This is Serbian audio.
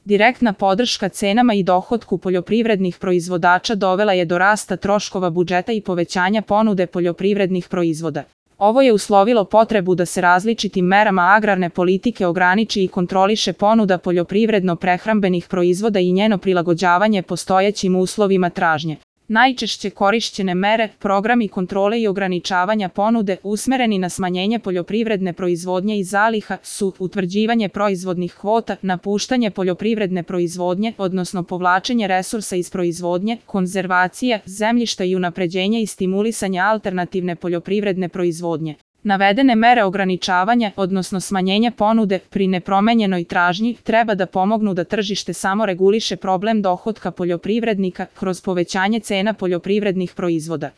Direktna podrška cenama i dohotku poljoprivrednih proizvođača dovela je do rasta troškova budžeta i povećanja ponude poljoprivrednih proizvoda. Ovo je uslovilo potrebu da se različitim merama agrarne politike ograniči i kontroliše ponuda poljoprivredno-prehrambenih proizvoda i njeno prilagođavanje postojećim uslovima tražnje. Najčešće korišćene mere, programi kontrole i ograničavanja ponude usmereni na smanjenje poljoprivredne proizvodnje i zaliha su utvrđivanje proizvodnih kvota, napuštanje poljoprivredne proizvodnje, odnosno povlačenje resursa iz proizvodnje, konzervacija zemljišta i unapređenje i stimulisanje alternativne poljoprivredne proizvodnje. Navedene mere ograničavanja, odnosno smanjenja ponude pri nepromenjenoj tražnji, treba da pomognu da tržište samo reguliše problem dohotka poljoprivrednika kroz povećanje cena poljoprivrednih proizvoda.